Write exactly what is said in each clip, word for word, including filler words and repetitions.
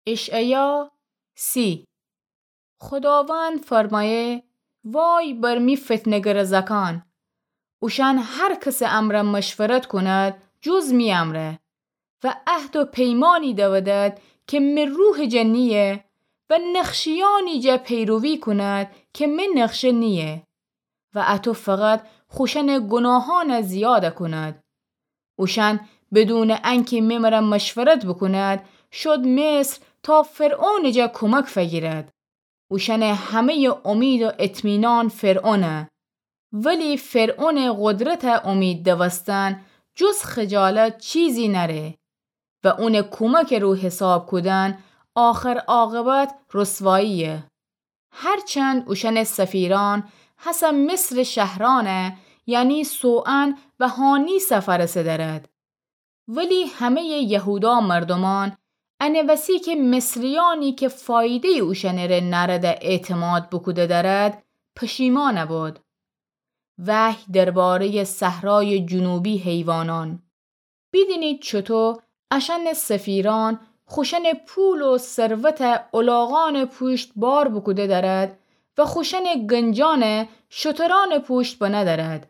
اشعیا سی. خوداوند فرمایه: وای بر می فتنه‌گرٚ زأکأن! اوشأن هر کسٚ امرأ مشورت کند جز می امرأ، و عهد و پیمأنی دودد که می روحٚ جا نییه، و نقشه‌یأنی جا پیروی کند که می نقشه نییه، و اَتو فقط خوشأنٚ گوناهأن زیاد کند. اوشأن بدونٚ انکه می مرأ مشورت بوکوند، شد مصر تا فرعونٚ جا کومک فگیرد. اوشأنٚ همه‌یٚ امید و اطمینان فرعونه. ولی فرعونٚ قدرت امید دوستن جز خجالت چیزی نأره و اونٚ کومکٚ رو حساب کودن آخر عاقبت رسواییه. هرچند اوشأنٚ سفیرأن هسه مصرٚ شهرأنه، یعنی سوئن و هانی سفرسه دأرد. ولی همه‌یٚ یهودا مردومأن انه وسی که مصریأنی که فایده‌یٚ اوشأنٚره نأرده اعتماد بوکوده دأرد، پشیمأن بود. وحی درباره‌یٚ صحرایٚ جنوبی حیوانأن. بیدینید چوطو اشأنٚ سفیرأن خوشأنٚ پول و ثروت الاغأنٚ پوشت بار بوکوده دأرد و خوشأنٚ گنجأنه شترأنٚ پوشت بنه دأرد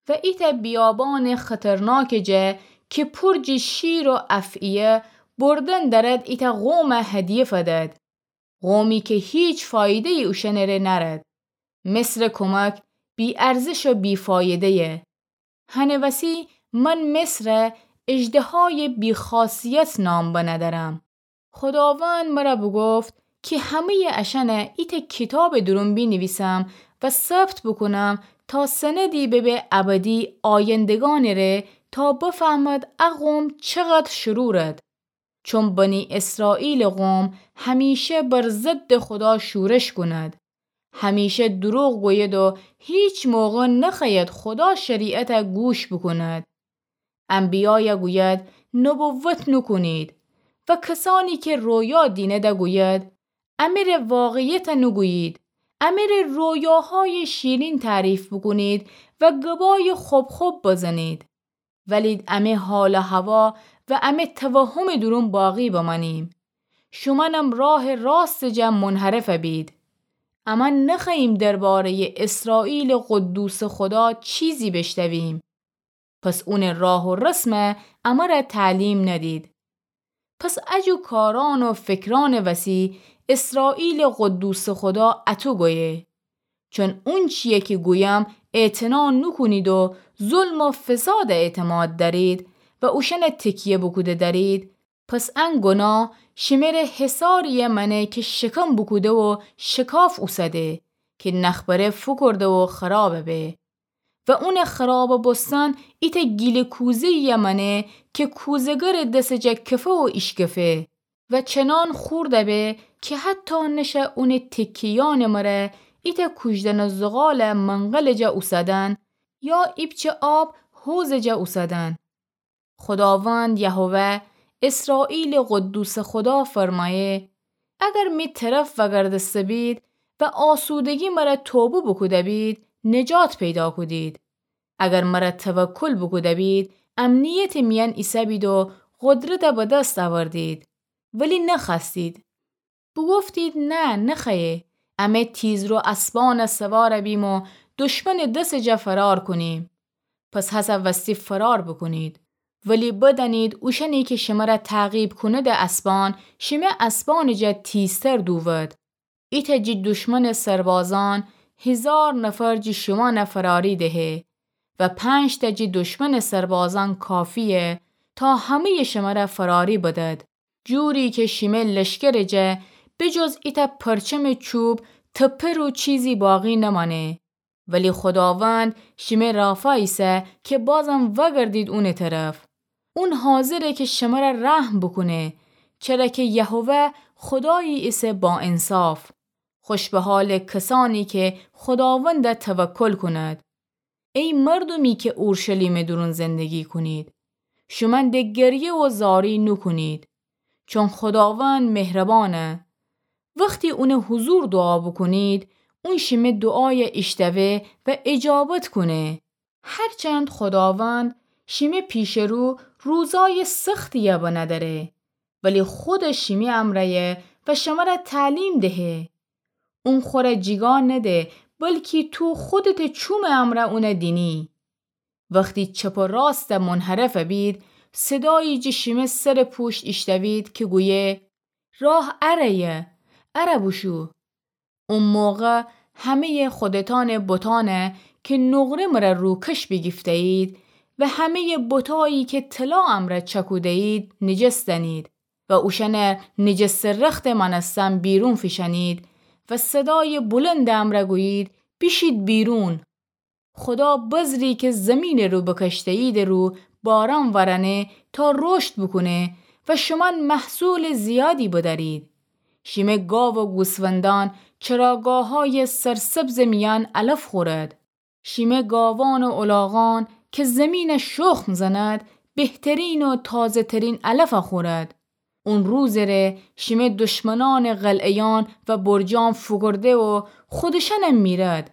و ایتأ بیابانٚ خطرناکٚ جا که پور جٚ شیر و افعیه بردن دأرد ایتأ قوم هدیه فدد، قومی که هیچ فایده‌یی اوشأنٚره نأرد. مصرٚ کومک بی‌ارزش و بی‌فایده‌یه. هنٚ وسی من مصره اژدهایٚ بی‌خاصیت نام بنه دأرم. خوداوند مرأ بوگفت که همه‌یٚ اشأنه ایتأ کیتابٚ دورون بینیویسم و ثبت بوکونم تا سندی ببه ابدی آیندگأنٚره، تا بفهمد ا قوم چقدر شرورد. چون بنی اسرائیلٚ قوم همیشه بر ضدٚ خودا شورش کند، همیشه دروغ گوید و هیچ موقع نخوأید خودا شریعته گوش بوکند. انبیایه گوید نبوت نوکونید و کسأنی که رویا دینده گوید امره واقعیته نوگویید، امره رویاهایٚ شیرین تعریف بوکونید و گبایٚ خب خب بزنید. ولید امه حال و هوا و امه توهمٚ دورون باقی بمأنیم. شومأنم راهٚ راستٚ جا منحرف بید. امأن نخوأییم درباره‌یٚ اسرائیلٚ قدوسٚ خودا چیزی بشتویم. پس اونٚ راه و رسمه امره تعلیم ندید. پس اجو کارأن و فکرأنٚ وسی اسرائیلٚ قدوسٚ خودا اطو گویه. چون اونچییه که گویم اعتنا نوکونید و ظلم و فساده اعتماد دأرید و اوشأنه تکیه بوکوده دأرید، پس ان گناه شمره حصارییه مأنه که شکم بوکوده و شکاف اوسده، که نخبره فوکورده و خرابه به. و اونٚ خرابه بوستن ایتأ گیله کوزه‌ییه مأنه که کوزه‌گرٚ دسٚ جا کفه و ایشکفه و چنان خورده به که حتی نشه اونٚ تکه‌یأنٚ مره ایتأ کوژدنٚ زغالٚ منقلٚ جا اوسدن یا ایپچه آب حوضٚ جا اوسدن. خوداوند یهوه، اسرائیلٚ قدوسٚ خودا فرمأیه: اگر می طرف وأگردسته بید و آسودگی مره توبه بوکوده بید، نجات پیدا کودید. اگر مره توکل بوکوده بید، امنیتٚ میأن ایسه‌بید و قدرته به دست اوردید، ولی نخوأستید. بوگفتید: نه، نخوأیه. امه تیزرو اسبأنه سوار بیم و دشمنٚ دسٚ جا فرار کونیم. پس هسه وستی فرار بوکونید. ولی بدأنید اوشأنی که شمره تعقیب کونده اسبأن، شمه اسبأنٚ جا تیزتر دوود. ایتأ جی دشمنٚ سربازأن هیزار نفر جی شومأنه فراری دهه و پنج‌تأ جی دشمنٚ سربازأن کافییه تا همه‌یٚ شمره فراری بدد. جوری که شیمه لشکرٚ جا به جز ایتأ پرچمٚ چوب تپه رو چیزی باقی نمأنه. ولی خوداوند شیمه رافا ایسه که بازم وأگردید اونٚ طرف. اون حاضره که شمره رحم بوکونه، چره که یهوه خودایی ایسه با انصاف. خوش به حالٚ کسأنی که خوداونده توکل کونید. ای مردومی که اورشلیمٚ دورون زندگی کونید، شومأن د گریه و زاری نوکونید، چون خوداوند مهربأنه. وختی اونٚ حضور دوعا بوکونید، اون شیمه دوعایه ایشتوه و اجابت کونه. هرچند خوداوند شیمه پیشٚ رو روزای سختییه بنه دأره، ولی خودٚ شیمی امرأیه و شمره تعلیم دهه. اون خوره جیگا نده، بلکی تو خودتٚ چومٚ امرأ اونه دینی. وختی چپ و راسته منحرف بید، صدایی جٚه شیمه سرٚ پوشت ایشتوید کی گویه، راه اره‌یه، اره بوشو. او موقع همه‌یٚ خودتأنٚ بتأنه کی نقره مره روکش بیگیفته‌یید و همه‌یٚ بتایی کی طلا امرأ چکوده‌یید نجس دأنید و اوشأنه نجسٚ رختٚ مأنستن بیرون فیشأنید و صدایٚ بلندٚ امرأ گویید، بیشید بیرون. خودا بذری کی زیمینٚ رو بکشته‌ییدٚ رو باران وأرأنه تا رشد بوکونه و شومأن محصولٚ زیادی بدأرید. شیمه گاو و گوسفندأن چراگاه‌هایٚ سرسبزٚ میأن علف خورد. شیمه گاوأن و الاغأن کی زیمینه شخم زند، بهترین و تازه‌ترین علف خورد. اون روزٚ ره شیمه دشمنأنٚ قلعه‌یأن و برجأن فوکورده و خودشأنم میرد.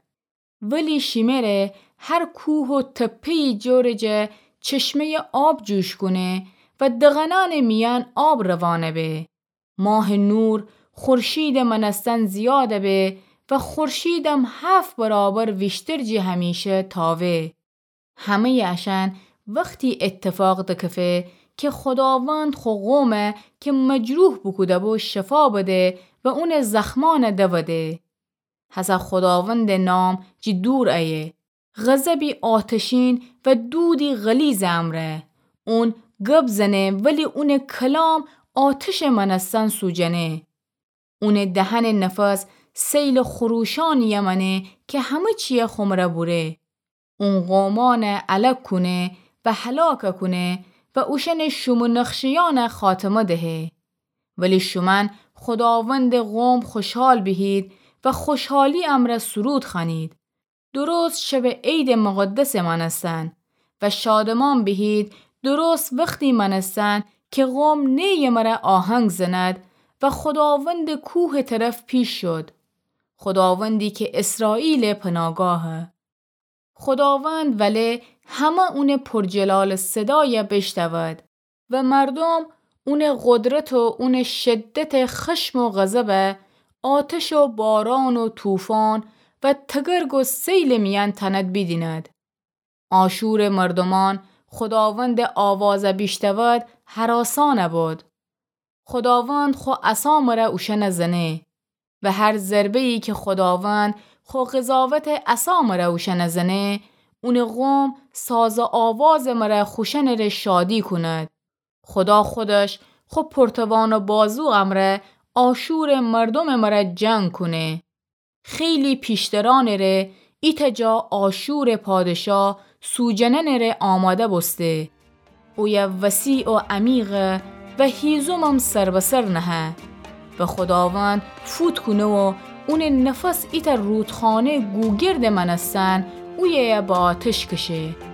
ولی شیمه ره هر کوه و تپه‌یی جورٚ جه چشمه‌یٚ آب جوش کونه و دغنأنٚ میأن آب روانه به. ماهٚ نور خورشیدٚ مأنستن زیاده به و خورشیدم هفت برابر ویشتر جٚه همیشه تاوه. همه‌یٚ اشأن وختی ایتفاق دکفه کی خوداوند خو قومه کی مجروح بوکوده‌بو شفا بده و اونٚ زخمأنه دوده. هسه خوداوندٚ نام جٚه دور ایه. غضبی آتشین و دودی غلیظٚ امرأ. اون گب زنه ولی اونٚ کلام آتشٚ مأنستن سوجنه. اونٚ دهنٚ نفس سیلٚ خروشأنی یمأنه کی همه چیه خو مره بوره. اون قومأنه الک کونه و هلاک کونه و اوشأنٚ شوم و نقشه‌یأنه خاتمه دهه. ولی شومأن خوداوندٚ قوم خوشحال بیهید و خوشحالی امرأ سرود خوأنید. درست شبٚ عیدٚ مقدسٚ مأنستن و شادمأن بیهید، درست وختی مأنستن کی قوم نی یمره آهنگ زند و خوداوندٚ کوهٚ طرف پیش شد. خوداوندی کی اسرائیلٚ پناگاهه. خوداوند وله همه اونٚ پرجلالٚ صدایه بیشتود و مردوم اونٚ قدرت و اونٚ شدتٚ خشم و غضبه آتش و باران و طوفان و تگرگ و سیلٚ میأن تأند بیدیند. آشورٚ مردومأن خوداوندٚ آوازه بیشتود هراسأن بود. خوداوند خو عصا مره اوشأنه زنه و هر ضربه‌یی کی خوداوند خو قضاوتٚ عصا مره اوشأنه زنه، اونٚ قوم ساز و آوازٚ مره خوشأنٚ ره شادی کند. خودا خودش خو پرتوان و بازو امرأ آشورٚ مردومٚ مره جنگ کونه. خیلی پیشترأنٚ ره ایتأ جا آشورٚ پادشا سوجنأنٚ ره آماده بوسته. اویه وسیع و عمیقه و هیزومم سر به سر نهه. و خوداوند فوت کونه و اونٚ نفس ایتأ رودخانه گوگردٚ مأنستن اویه به آتش کشه.